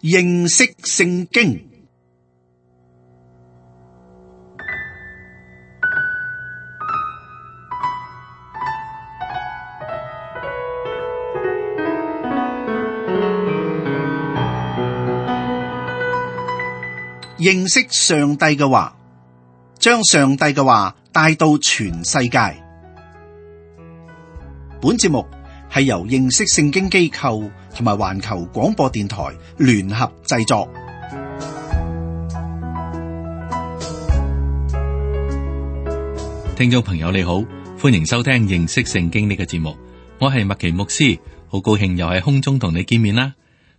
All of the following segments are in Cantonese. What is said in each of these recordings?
認識聖經。認識上帝嘅話，將上帝嘅話帶到全世界。本節目係由認識聖經機構同埋環球廣播電台聯合製作。聽眾朋友你好，歡迎收聽認識聖經呢個節目。我係麥奇牧師，好高興又喺空中同你見面啦。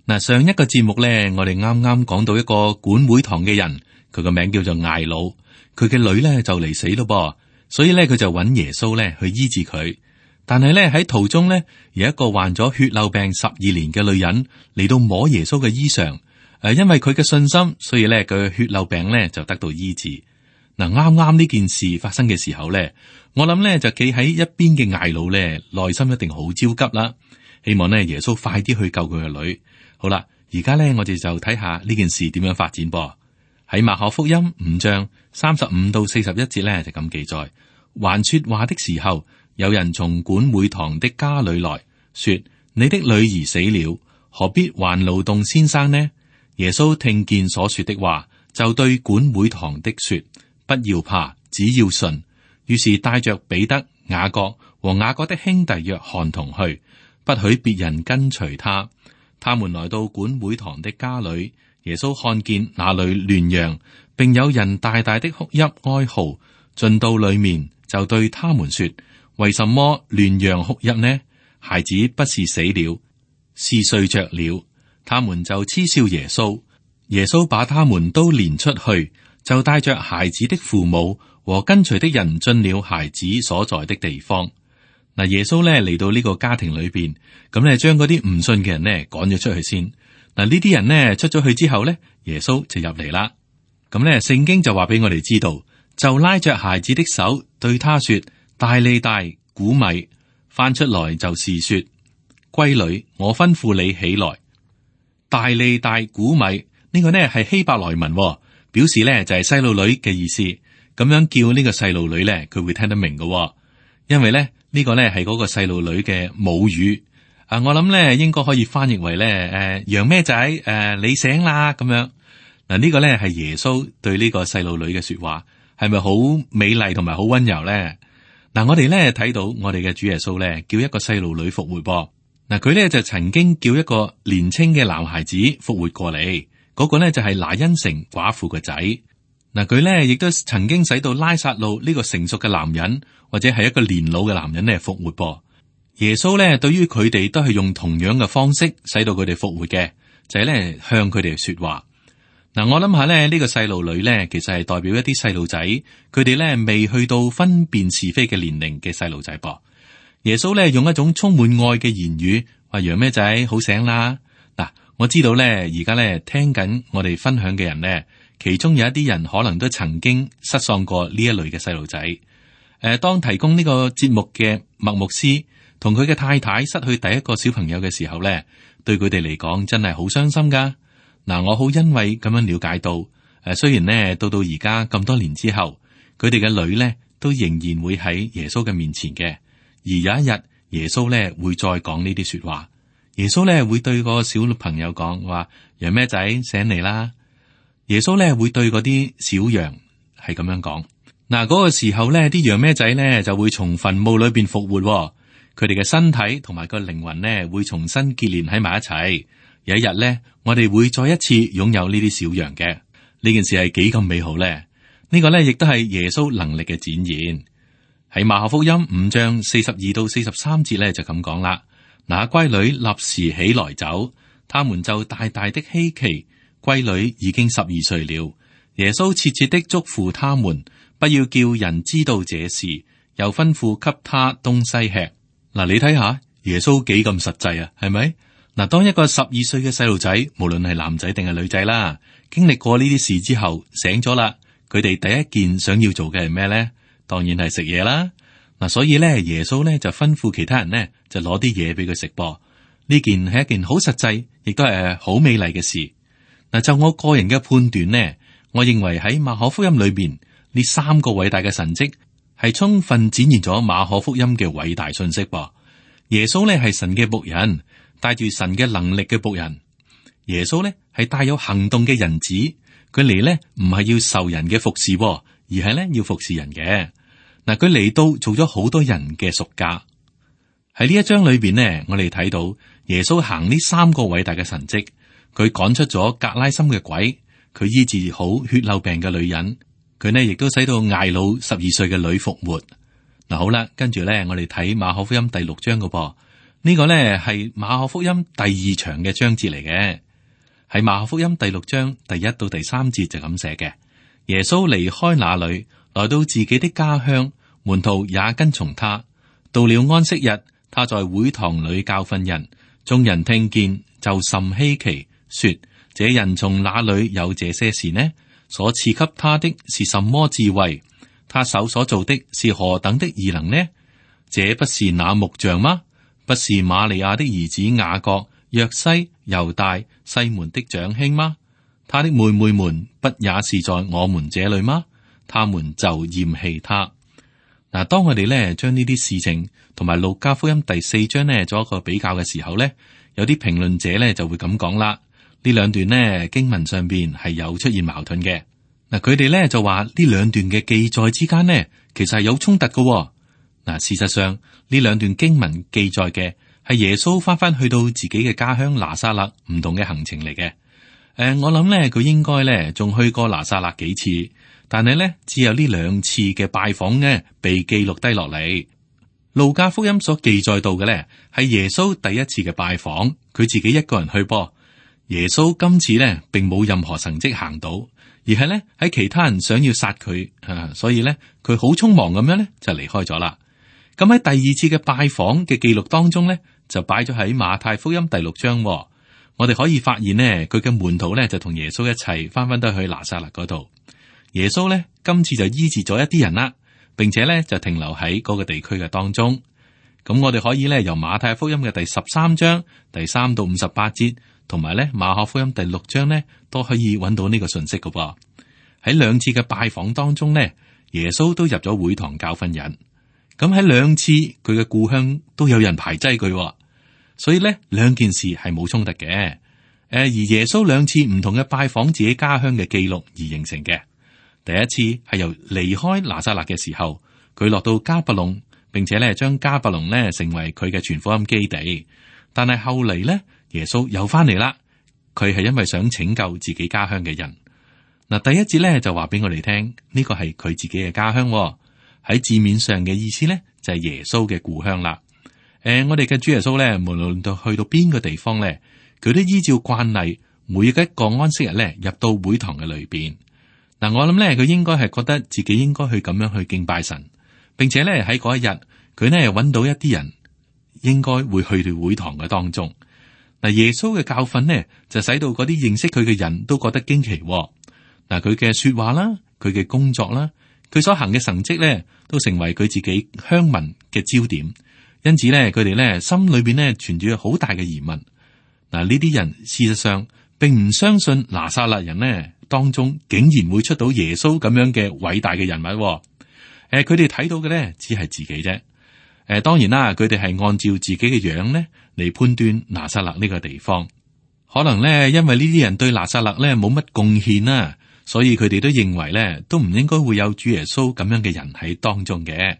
嗱，上一個節目咧，我哋啱啱講到一個管會堂嘅人，佢個名叫做艾魯，佢嘅女咧就嚟死咯噃，所以咧佢就揾耶穌咧去醫治佢。但係咧喺途中咧，有一個患咗血漏病12年嘅女人嚟到摸耶穌嘅衣裳，因為佢嘅信心，所以咧佢嘅血漏病咧就得到醫治。嗱，啱啱呢件事發生嘅時候咧，我諗咧就企喺一邊嘅艾魯咧，內心一定好焦急啦，希望咧耶穌快啲去救佢嘅女。好啦，而家咧我哋就睇下呢件事點樣發展噃。喺馬可福音5章35到41節咧就咁記載，還說話的時候，有人從管會堂的家裏來說：你的女兒死了，何必還勞動先生呢？耶穌聽見所說的話，就對管會堂的說：不要怕，只要信。於是帶着彼得、雅各和雅各的兄弟約翰同去，不許別人跟隨他。他們來到管會堂的家裏，耶穌看見那裏亂嚷，並有人大大的哭泣哀號，進到裏面就對他們說：為什麼亂嚷哭泣呢？孩子不是死了，是睡着了。他們就嗤笑耶穌。耶穌把他們都連出去，就帶着孩子的父母和跟隨的人進了孩子所在的地方。嗱，耶穌咧嚟到呢個家庭裏邊，咁咧將嗰啲唔信嘅人咧趕咗出去先。嗱，呢啲人咧出咗去之後咧，耶穌就入嚟啦。咁咧聖經就話俾我哋知道，就拉着孩子的手對他說：大利大，古米。翻出來就是說：閨女，我吩咐你起來。大利大，古米，呢個呢係希伯來文，表示咧就係細路女嘅意思。咁樣叫呢個細路女咧，佢會聽得明嘅，因為咧呢個咧係嗰個細路女嘅母語。我諗咧應該可以翻譯為咧楊咩仔你醒啦咁樣。嗱，呢個咧係耶穌對呢個細路女嘅說話，係咪好美麗同埋好溫柔咧？嗱，我哋咧睇到我哋嘅主耶穌咧叫一個細路女復活噃。嗱，佢咧就曾經叫一個年青嘅男孩子復活過嚟，嗰個咧就係拿因城寡婦嘅仔。嗱，佢咧亦都曾經使到拉撒路呢個成熟嘅男人或者係一個年老嘅男人咧復活噃。耶穌咧對於佢哋都係用同樣嘅方式使到佢哋復活嘅，就係咧向佢哋說話。嗱，我諗下咧呢個細路女咧其實係代表一啲細路仔，佢哋咧未去到分辨是非嘅年齡嘅細路仔噃。耶穌咧用一種充滿愛嘅言語話：楊咩仔好醒啦。嗱，我知道咧而家咧聽緊我哋分享嘅人咧，其中有一啲人可能都曾經失喪過呢一類嘅細路仔。當提供呢個節目嘅麥牧師同佢嘅太太失去第一個小朋友嘅時候咧，對佢哋嚟講真係好傷心噶。嗱，我好欣慰咁樣了解到，雖然呢到而家咁多年之後，佢哋嘅女咧都仍然會喺耶穌嘅面前嘅，而有一日耶穌咧會再講呢啲說話，耶穌咧會對個小朋友講話：楊咩仔醒嚟啦。耶穌咧會對嗰啲小羊係咁樣講。嗱，嗰個時候咧，啲羊咩仔咧就會從墳墓裏邊復活，佢哋嘅身體同埋個靈魂咧會重新結連喺埋一齊。有一日咧，我哋會再一次擁有呢啲小羊嘅。呢件事係幾咁美好咧？呢個咧亦都係耶穌能力嘅展現。喺馬可福音5章42到43節咧就咁講啦。那閨女立時起來走，他們就大大的稀奇。閨女已經12歲了。耶穌切切的囑咐他們，不要叫人知道這事，又吩咐給他東西吃。嗱，你睇下耶穌幾咁實際啊？係咪？嗱，當一個12歲嘅細路仔，無論係男仔定係女仔啦，經歷過呢啲事之後醒咗啦，佢哋第一件想要做嘅係咩咧？當然係食嘢啦。嗱，所以咧耶穌咧就吩咐其他人咧就攞啲嘢俾佢食噃。呢件係一件好實際，亦都係好美麗嘅事。嗱，就我個人嘅判斷呢，我認為喺馬可福音裏邊呢三個偉大嘅神蹟係充分展現咗馬可福音嘅偉大信息噃。耶穌呢係神嘅僕人，帶住神嘅能力嘅僕人。耶穌呢係帶有行動嘅人子，佢嚟呢唔係要受人嘅服侍，而係呢要服侍人嘅。嗱，佢嚟到做咗好多人嘅贖價。喺呢一章裏邊呢，我哋睇到耶穌行呢三個偉大嘅神蹟，佢趕出咗格拉森嘅鬼，佢醫治好血漏病嘅女人，佢呢亦都使到睚魯12歲嘅女復活。嗱，好啦，跟住呢，我哋睇馬可福音第6章嘅噃，呢個呢係馬可福音第2長嘅章節嚟嘅。喺馬可福音第6章第1到第3節就咁寫嘅：耶穌離開那裏，來到自己的家鄉，門徒也跟從他。到了安息日，他在會堂裏教訓人，眾人聽見就甚稀奇，說：這人從哪裏有這些事呢？所賜給他的是什麼智慧？他手所做的是何等的異能呢？這不是那木匠嗎？不是瑪利亞的兒子雅各、約西、猶大、西門的長兄嗎？他的妹妹們不也是在我們這裏嗎？他們就厭棄他。嗱，當我哋咧將呢啲事情同埋路加福音第4章呢做一個比較嘅時候呢，有啲評論者呢就會咁講啦。呢兩段呢經文上邊係有出現矛盾嘅。嗱，佢哋呢就話呢兩段嘅記載之間呢其實係有衝突嘅。嗱，事實上呢兩段經文記載嘅係耶穌翻去到自己嘅家鄉拿撒勒唔同嘅行程嚟嘅。我諗呢佢應該呢仲去過拿撒勒幾次，但係呢只有呢2次嘅拜訪呢被記錄低落嚟。路加福音所記載到嘅呢係耶穌第一次嘅拜訪，佢自己一個人去噃。耶穌今次呢並冇任何神蹟行到，而係呢喺其他人想要殺佢，所以呢佢好匆忙咁樣呢就離開咗啦。咁喺第二次嘅拜訪嘅記錄當中呢，就擺咗喺馬太福音第6章。我哋可以發現呢，佢嘅門徒呢就同耶穌一齊翻到去拿撒勒嗰度。耶穌呢今次就醫治咗一啲人啦，並且呢就停留喺嗰個地區嘅當中。咁我哋可以呢由馬太福音嘅第13章第3到58節，同埋呢馬可福音第6章呢都可以揾到呢個信息㗎噃。喺2次嘅拜訪當中呢，耶穌都入咗會堂教訓人。咁喺2次佢嘅故鄉都有人排擠佢，所以呢2件事係冇衝突嘅。而耶穌2次唔同嘅拜訪自己家鄉嘅記錄而形成嘅。第一次係由離開拿撒勒嘅時候，佢落到迦百農，並且咧將迦百農咧成為佢嘅傳福音基地。但係後嚟咧，耶穌又翻嚟啦，佢係因為想拯救自己家鄉嘅人。嗱，第一節咧就話俾我哋聽，呢個係佢自己嘅家鄉。喺字面上嘅意思咧，就係耶穌嘅故鄉啦。我哋嘅主耶穌咧，無論到去到邊個地方咧，佢都依照慣例，每一個安息日咧，入到會堂嘅裏邊。嗱，我諗咧，佢應該係覺得自己應該去咁樣去敬拜神，並且咧喺嗰一日，佢呢揾到一啲人應該會去到會堂嘅當中。嗱，耶穌嘅教訓呢，就使到嗰啲認識佢嘅人都覺得驚奇。嗱，佢嘅說話啦，佢嘅工作啦，佢所行嘅神蹟咧，都成為佢自己鄉民嘅焦點。因此咧，佢哋咧心裏邊咧存住好大嘅疑問。嗱，呢啲人事實上並唔相信拿撒勒人呢當中竟然會出到耶穌咁樣嘅偉大嘅人物。佢哋睇到嘅咧只係自己啫。當然啦，佢哋係按照自己嘅樣咧嚟判斷拿撒勒呢個地方。可能咧，因為呢啲人對拿撒勒咧冇乜貢獻啦，所以佢哋都認為咧都唔應該會有主耶穌咁樣嘅人喺當中嘅。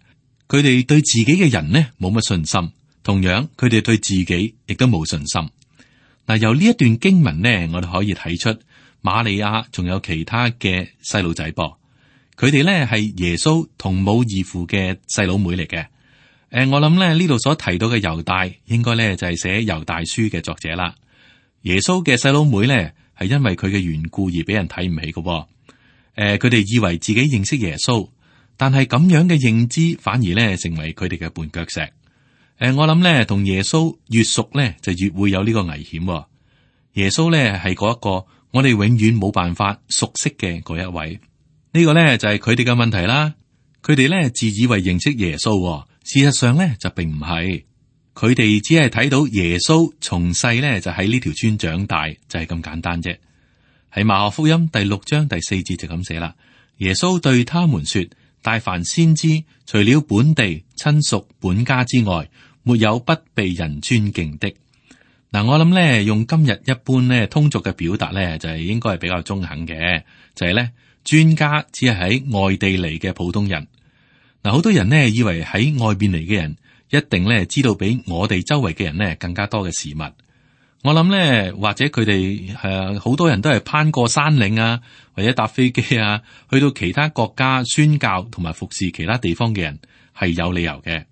佢哋對自己嘅人呢冇乜信心，同樣佢哋對自己亦都冇信心。嗱，由呢一段經文呢，我哋可以睇出瑪利亞仲有其他嘅細路仔噃，佢哋呢係耶穌同母異父嘅細佬妹嚟嘅。我諗咧呢度所提到嘅猶大，應該咧就係寫猶大書嘅作者啦。耶穌嘅細佬妹呢，係因為佢嘅緣故而俾人睇唔起嘅。佢哋以為自己認識耶穌，但係咁樣嘅認知反而咧成為佢哋嘅絆腳石。我諗咧同耶穌越熟咧，就越會有呢個危險。耶穌咧係嗰一個我哋永遠冇辦法熟悉嘅嗰一位。呢個咧就係佢哋嘅問題啦。佢哋咧自以為認識耶穌，事實上咧就並唔係。佢哋只係睇到耶穌從細咧就喺呢條村長大，就係咁簡單啫。喺馬可福音第6章第4節就咁寫啦。耶穌對他們說：大凡先知，除了本地親屬本家之外，沒有不被人尊敬的。嗱，我諗咧用今日一般咧通俗嘅表達咧，就係應該係比較中肯嘅，就係咧專家只係喺外地嚟嘅普通人。嗱，好多人呢以為喺外邊嚟嘅人一定咧知道比我哋周圍嘅人咧更加多嘅事物。我諗咧，或者佢哋好多人都係攀過山嶺啊，或者搭飛機啊，去到其他國家宣教同埋服侍其他地方嘅人係有理由嘅。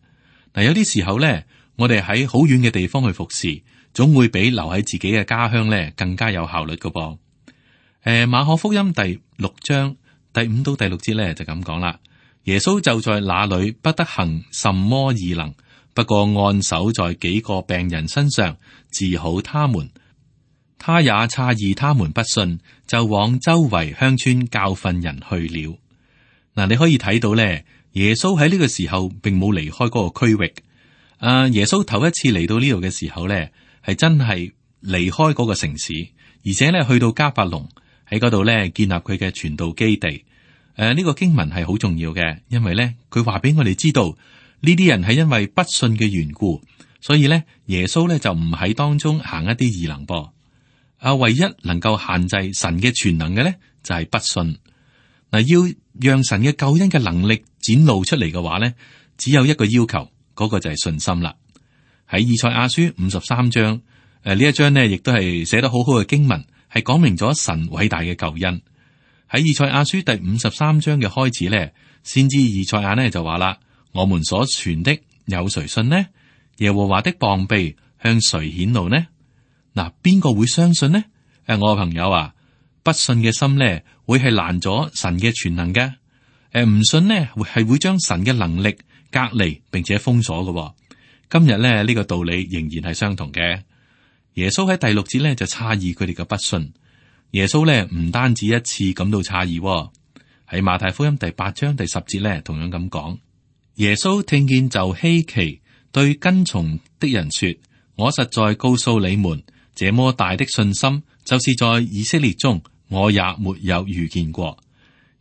嗱，有啲時候咧，我哋喺好遠嘅地方去服侍，總會比留喺自己嘅家鄉咧更加有效率噶噃。馬可福音第6章第5到第6節咧就咁講啦。耶穌就在那裏不得行什麼異能，不過按手在幾個病人身上治好他們。他也詫異他們不信，就往周圍鄉村教訓人去了。嗱，你可以睇到咧，耶穌喺呢個時候並冇離開嗰個區域。耶穌頭一次嚟到呢度嘅時候咧，係真係離開嗰個城市，而且咧去到迦百農喺嗰度咧建立佢嘅傳道基地。呢個經文係好重要嘅，因為咧佢話俾我哋知道呢啲人係因為不信嘅緣故，所以咧耶穌咧就唔喺當中行一啲異能噃。唯一能夠限制神嘅全能嘅咧就係不信。嗱，要讓神嘅救恩嘅能力展露出嚟嘅話咧，只有一個要求，嗰個就係信心啦。喺以賽亞書53章呢一章呢，亦都係寫得好好嘅經文，係講明咗神偉大嘅救恩。喺以賽亞書第53章嘅開始咧，先知以賽亞呢就話啦：我們所傳的有誰信呢？耶和華的膀臂向誰顯露呢？嗱，邊個會相信呢？我嘅朋友啊，不信嘅心咧會係攔咗神嘅全能嘅。唔信呢係會將神嘅能力隔離並且封鎖嘅。今日咧呢個道理仍然係相同嘅。耶穌喺第6節咧就詫異佢哋嘅不信。耶穌咧唔單止一次感到詫異，喺馬太福音第8章第10節咧同樣咁講。耶穌聽見就稀奇，對跟從的人說：我實在告訴你們，這麼大的信心，就是在以色列中我也沒有遇見過。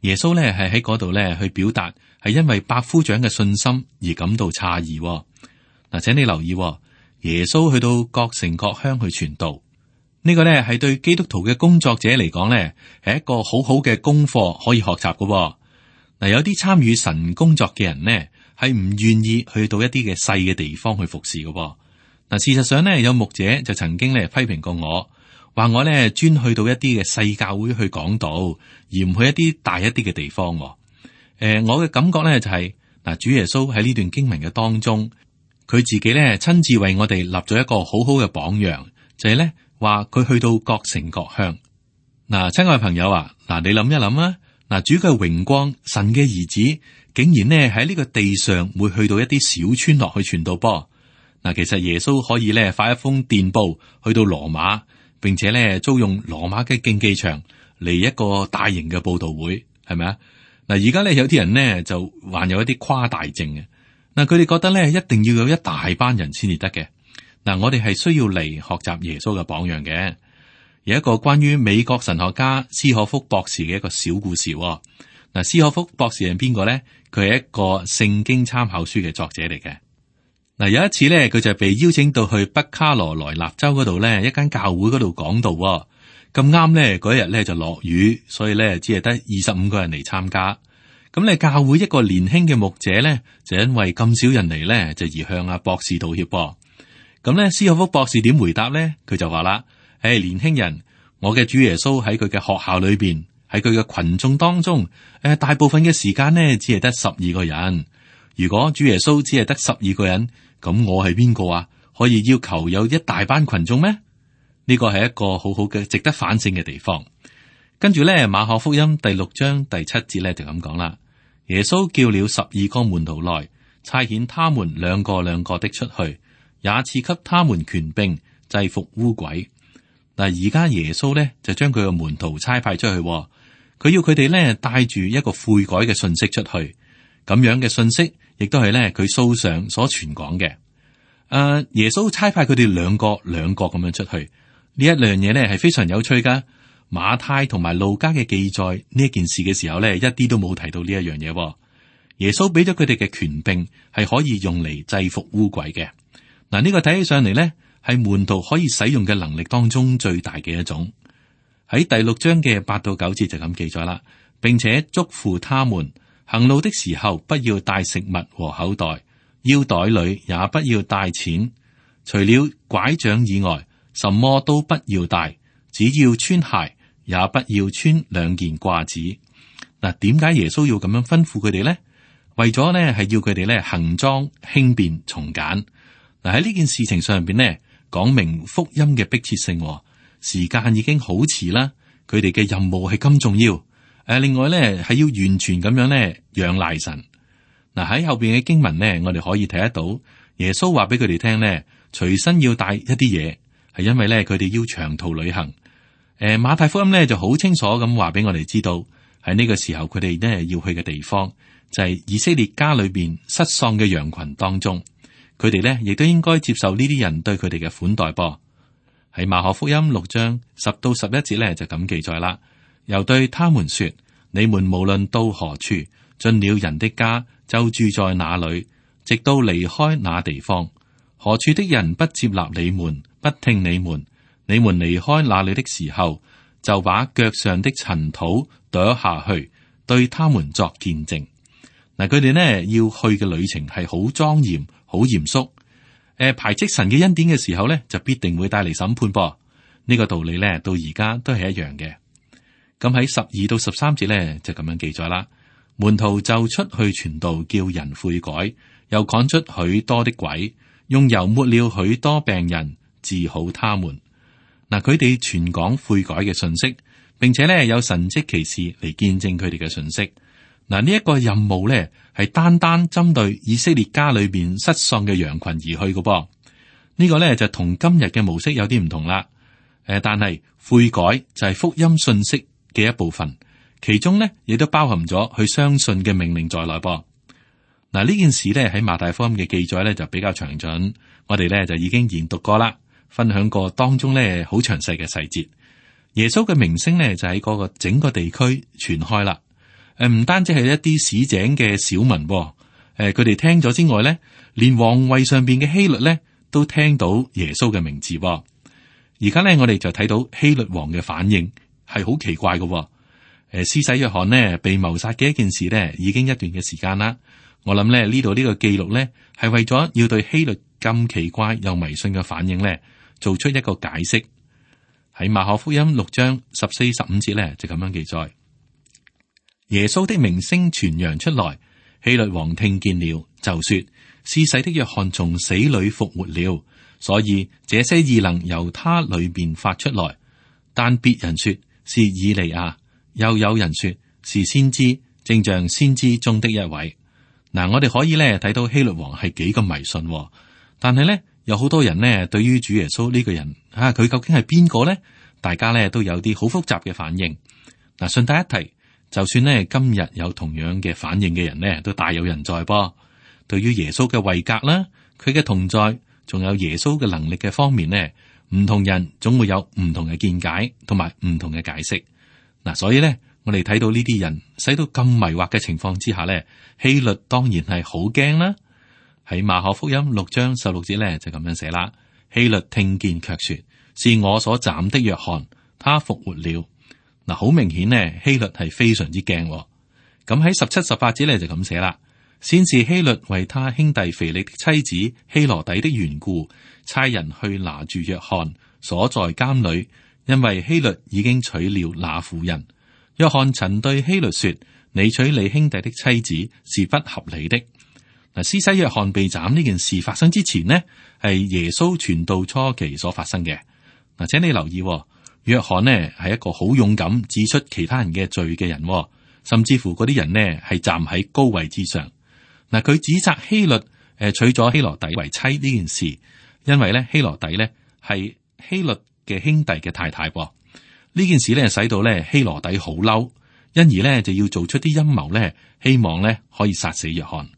耶穌咧係喺嗰度咧去表達，係因為百夫長嘅信心而感到詫異。嗱，請你留意，耶穌去到各城各鄉去傳道。呢個咧係對基督徒嘅工作者嚟講咧，係一個好好嘅功課可以學習嘅。嗱，有啲參與神工作嘅人呢，係唔願意去到一啲嘅細嘅地方去服侍嘅。嗱，事實上呢，有牧者就曾經咧批評過我，話我咧專去到一啲嘅細教會去講道，而唔去一啲大一啲嘅地方。我嘅感覺咧就係，嗱，主耶穌喺呢段經文嘅當中，佢自己咧親自為我哋立咗一個好好嘅榜樣，就係咧。話佢去到各城各鄉。嗱，親愛朋友啊，嗱，你諗一諗啊，嗱，主嘅榮光，神嘅兒子，竟然呢喺呢個地上會去到一啲小村落去傳道噃。嗱，其實耶穌可以咧發一封電報去到羅馬，並且咧租用羅馬嘅競技場嚟一個大型嘅佈道會，係咪啊？嗱，而家咧有啲人呢就患有一啲誇大症嘅。嗱，佢哋覺得咧一定要有一大班人先至得嘅。嗱，我哋係需要嚟學習耶穌嘅榜樣嘅。有一個關於美國神學家斯可福博士嘅一個小故事。嗱，斯可福博士係邊個咧？佢係一個聖經參考書嘅作者嚟嘅。嗱，有一次咧，佢就被邀請到去北卡羅來納州嗰度咧一間教會嗰度講道。咁啱咧嗰一日咧就落雨，所以咧只係得25個人嚟參加。咁咧教會一個年輕嘅牧者咧就因為咁少人嚟咧，就而向阿博士道歉。咁咧，斯可福博士點回答咧？佢就話啦：年輕人，我嘅主耶穌喺佢嘅學校裏邊，喺佢嘅群眾當中，大部分嘅時間呢，只係得12個人。如果主耶穌只係得12個人，咁我係邊個啊？可以要求有一大班群眾咩？呢個係一個好好嘅值得反省嘅地方。跟住咧，馬可福音第6章第7節咧就咁講啦：耶穌叫了12個門徒來，差遣他們兩個兩個的出去。也賜給他們權柄制服污鬼。嗱，而家耶穌咧就將佢嘅門徒差派出去，佢要佢哋咧帶住一個悔改嘅信息出去。咁樣嘅信息亦都係咧佢素常所傳講嘅。耶穌差派佢哋兩個兩個咁樣出去，呢一樣嘢咧係非常有趣噶。馬太同埋路加嘅記載呢一件事嘅時候咧，一啲都冇提到呢一樣嘢。耶穌俾咗佢哋嘅權柄係可以用嚟制服污鬼嘅。嗱，呢個睇起上嚟咧，係門徒可以使用嘅能力當中最大嘅一種。喺第6章嘅8到9節就咁記載啦，並且囑咐他們行路的時候不要帶食物和口袋，腰袋裏也不要帶錢，除了拐杖以外，什麼都不要帶，只要穿鞋，也不要穿2件褂子。嗱，點解耶穌要咁樣吩咐佢哋呢？為咗呢係要佢哋咧行裝輕便從簡。嗱，喺呢件事情上邊呢，講明福音嘅迫切性。時間已經好遲啦，佢哋嘅任務係咁重要。另外咧係要完全咁樣咧仰賴神。嗱，喺後邊嘅經文呢，我哋可以睇得到耶穌話俾佢哋聽呢，隨身要帶一啲嘢，係因為咧佢哋要長途旅行。馬太福音呢就好清楚咁話俾我哋知道，喺呢個時候佢哋呢要去嘅地方。就係以色列家裏邊失喪嘅羊群當中，佢哋呢亦都應該接受呢啲人對佢哋嘅款待噃。喺馬可福音6章10到11節呢，就咁記載啦。又對他們說：你們無論到何處，進了人的家，就住在那裏，直到離開那地方。何處的人不接納你們，不聽你們，你們離開那裏的時候，就把腳上的塵土跺下去，對他們作見證。嗱，佢哋呢要去嘅旅程係好莊嚴、好嚴肅。排斥神嘅恩典嘅時候呢，就必定會帶嚟審判噃。呢個道理呢，到而家都係一樣嘅。咁喺12到13節呢，就咁樣記載啦。門徒就出去傳道，叫人悔改，又趕出許多的鬼，用油抹了許多病人，治好他們。嗱，佢哋傳講悔改嘅信息，並且呢有神蹟奇事嚟見證佢哋嘅信息。嗱，呢一個任務咧係單單針對以色列家裏邊失喪嘅羊群而去嘅噃。呢個咧就同今日嘅模式有啲唔同啦。但係悔改就係福音信息嘅一部分，其中咧亦都包含咗去相信嘅命令在內噃。嗱，呢件事咧喺馬太福音嘅記載咧就比較詳盡，我哋咧就已經研讀過啦，分享過當中咧好詳細嘅細節。耶穌嘅名聲咧就喺嗰個整個地區傳開啦。唔單止係一啲市井嘅小民，佢哋聽咗之外咧，連皇位上邊嘅希律咧都聽到耶穌嘅名字。而家咧，我哋就睇到希律王嘅反應係好奇怪嘅。施洗約翰呢被謀殺嘅一件事呢，已經一段嘅時間啦。我諗咧呢度呢個記錄咧係為咗要對希律咁奇怪又迷信嘅反應咧做出一個解釋。喺馬可福音6章14、15節咧就咁樣記載。耶穌的名聲傳揚出來，希律王聽見了，就說：施洗的約翰從死裏復活了，所以這些異能由他裏面發出來。但別人說是以利亞，又有人說是先知，正像先知中的一位。嗱，我哋可以咧睇到希律王係幾咁迷信，但係咧有好多人呢對於主耶穌呢個人佢究竟係邊個呢？大家咧都有啲好複雜嘅反應。嗱，順帶一提。就算呢今日有同樣嘅反應嘅人呢，都大有人在噃。對於耶穌嘅位格啦，佢嘅同在，仲有耶穌嘅能力嘅方面呢，唔同人總會有唔同嘅見解同埋唔同嘅解釋。嗱，所以呢，我哋睇到呢啲人使到咁迷惑嘅情況之下呢，希律當然係好驚啦。喺馬可福音6章16節呢，就咁樣寫啦。希律聽見卻說：是我所斬的約翰，他復活了。嗱，好明顯呢，希律係非常之驚。咁喺17、18節咧就咁寫啦。先是希律為他兄弟腓力的妻子希羅底的緣故，差人去拿住約翰，鎖在監裏，因為希律已經娶了那婦人。約翰曾對希律說：你娶你兄弟的妻子是不合理的。嗱，施洗約翰被斬呢件事發生之前呢，係耶穌傳道初期所發生嘅。嗱，請你留意。約翰呢係一個好勇敢指出其他人嘅罪嘅人，甚至乎嗰啲人呢係站喺高位之上。嗱，佢指責希律娶咗希羅底為妻呢件事，因為咧希羅底呢係希律嘅兄弟嘅太太。呢件事呢使到咧希羅底好嬲，因而呢就要做出啲陰謀呢，希望呢可以殺死約翰。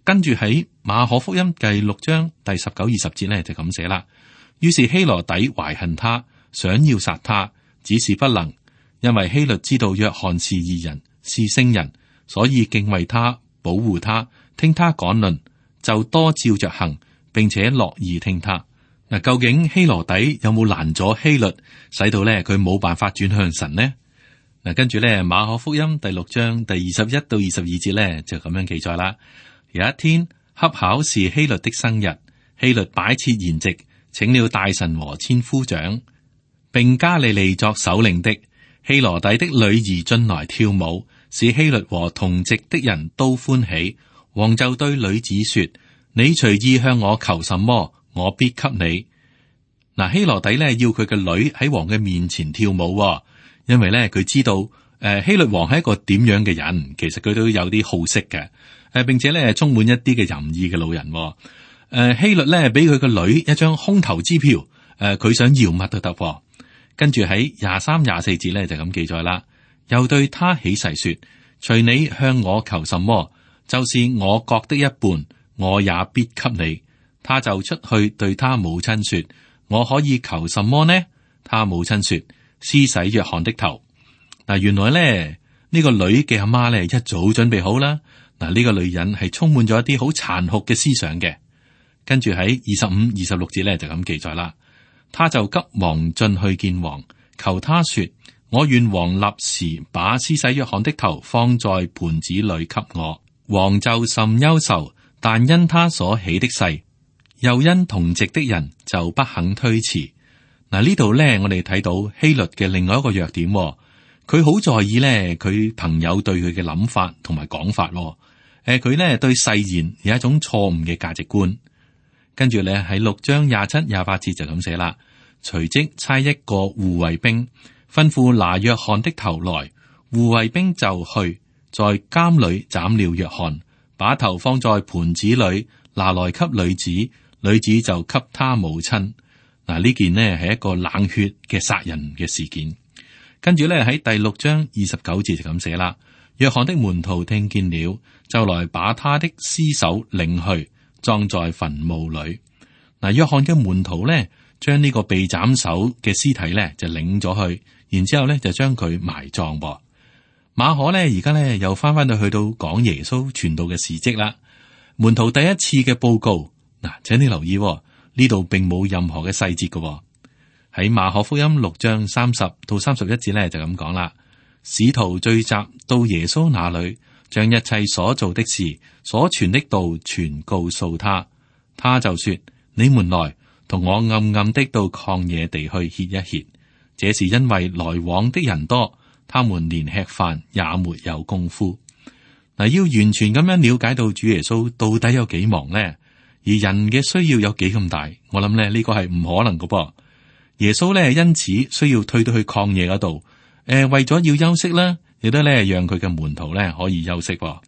跟住喺馬可福音第6章第19、20節呢就咁寫啦。於是希羅底懷恨他，想要殺他，只是不能，因為希律知道約翰是義人，是聖人，所以敬畏他，保護他，聽他講論，就多照着行，並且樂意聽他。嗱，究竟希羅底有冇攔咗希律，使到咧佢冇辦法轉向神呢？嗱，跟住咧馬可福音第6章第21到22節咧就咁樣記載啦。有一天恰巧是希律的生日，希律擺設筵席，請了大臣和千夫長，並加利利作首領的希羅底的女兒進來跳舞，使希律和同席的人都歡喜。王就對女子說：你隨意向我求什麼，我必給你。嗱，希羅底咧要佢嘅女喺王嘅面前跳舞，因為咧佢知道希律王係一個點樣嘅人，其實佢都有啲好色嘅，並且咧充滿一啲嘅淫意嘅老人。希律咧俾佢個女一張空頭支票，佢想要乜都得。跟住喺23、24節咧就咁記載啦，又對他起誓說：隨你向我求什麼，就是我國的一半，我也必給你。他就出去對他母親說：我可以求什麼呢？他母親說：施洗約翰的頭。嗱，原來咧呢個女嘅阿媽咧一早準備好啦。嗱，呢個女人係充滿咗一啲好殘酷嘅思想嘅。跟住喺25、26節咧就咁記載啦。他就急忙進去見王，求他說：我願王立時把施洗約翰的頭放在盤子裏給我。王就甚憂愁，但因他所起的誓，又因同席的人，就不肯推辭。嗱，呢度咧我哋睇到希律嘅另外一個弱點，佢好在意咧佢朋友對佢嘅諗法同埋講法。佢咧對誓言有一種錯誤嘅價值觀。跟住咧喺6章27、28節就咁寫啦。隨即差一個護衛兵吩咐拿約翰的頭來，護衛兵就去在監裏斬了約翰，把頭放在盤子裏，拿來給女子，女子就給他母親。嗱，呢件呢係一個冷血嘅殺人嘅事件。跟住咧喺第6章29節就咁寫啦。約翰的門徒聽見了，就來把他的屍首領去，葬在墳墓裏。嗱，約翰嘅門徒咧將呢個被斬首嘅屍體咧就領咗去，然之後咧就將佢埋葬。馬可咧而家咧又翻到去到講耶穌傳道嘅事蹟啦。門徒第一次嘅報告，嗱，請你留意呢度並冇任何嘅細節嘅。喺馬可福音6章30到31節咧就咁講啦。使徒聚集到耶穌那裏，將一切所做的事、所傳的道全告訴他。他就說：你們來同我暗暗的到曠野地去歇一歇。這是因為來往的人多，他們連吃飯也沒有功夫。嗱，要完全咁樣了解到主耶穌到底有幾忙呢？而人嘅需要有幾咁大？我諗咧呢個係唔可能㗎噃。耶穌咧因此需要退到去曠野嗰度。為咗要休息啦，亦都咧讓佢嘅門徒咧可以休息。嗱，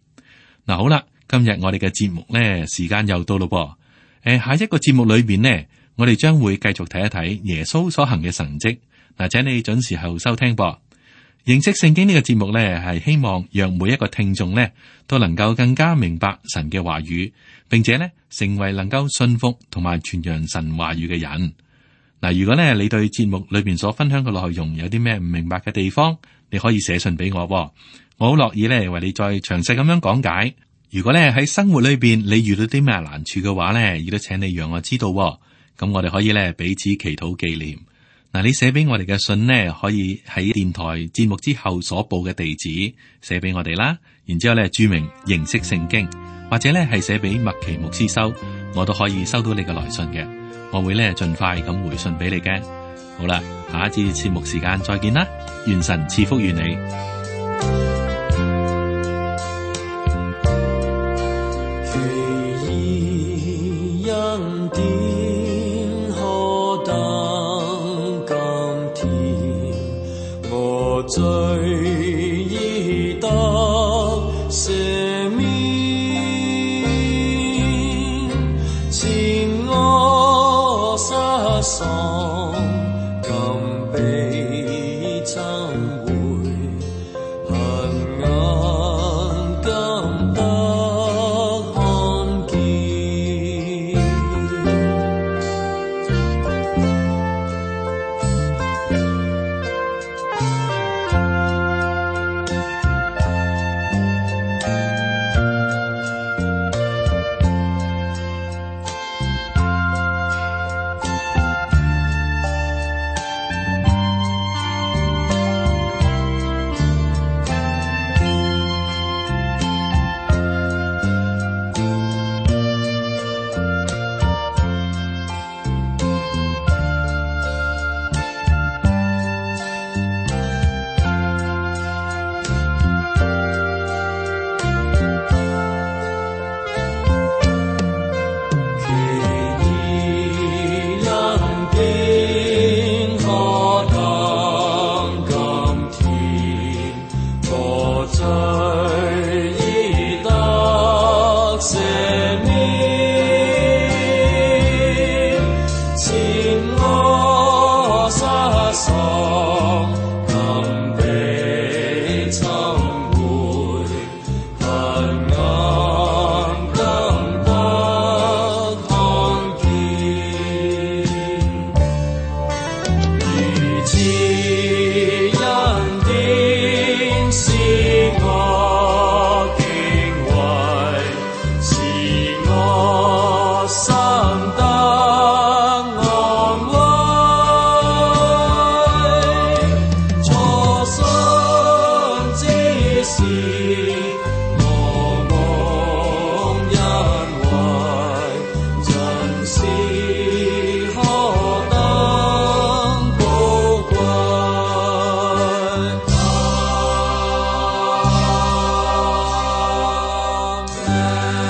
好啦，今日我哋嘅節目咧時間又到咯噃。下一個節目裏邊呢，我哋將會繼續睇一睇耶穌所行嘅神蹟。嗱，請你準時候收聽噃。認識聖經呢個節目咧，係希望讓每一個聽眾咧都能夠更加明白神嘅話語，並且咧成為能夠信服同埋傳揚神話語嘅人。嗱，如果咧你對節目裏邊所分享嘅內容有啲咩唔明白嘅地方，你可以寫信俾我，我好樂意咧為你再詳細咁樣講解。如果咧喺生活裏邊你遇到啲咩難處嘅話咧，亦都請你讓我知道，咁我哋可以咧彼此祈禱紀念。嗱，你寫俾我哋嘅信呢，可以喺電台節目之後所報嘅地址寫俾我哋啦。然之後咧注明認識聖經，或者咧係寫俾麥奇牧師收，我都可以收到你嘅來信嘅。我會咧盡快咁回信俾你嘅。好啦，下一次節目時間再見啦，願神賜福於你。奇異恩典何等甘甜，我罪已得赦免，前我失喪，今被尋回，恨眼今得看見。家。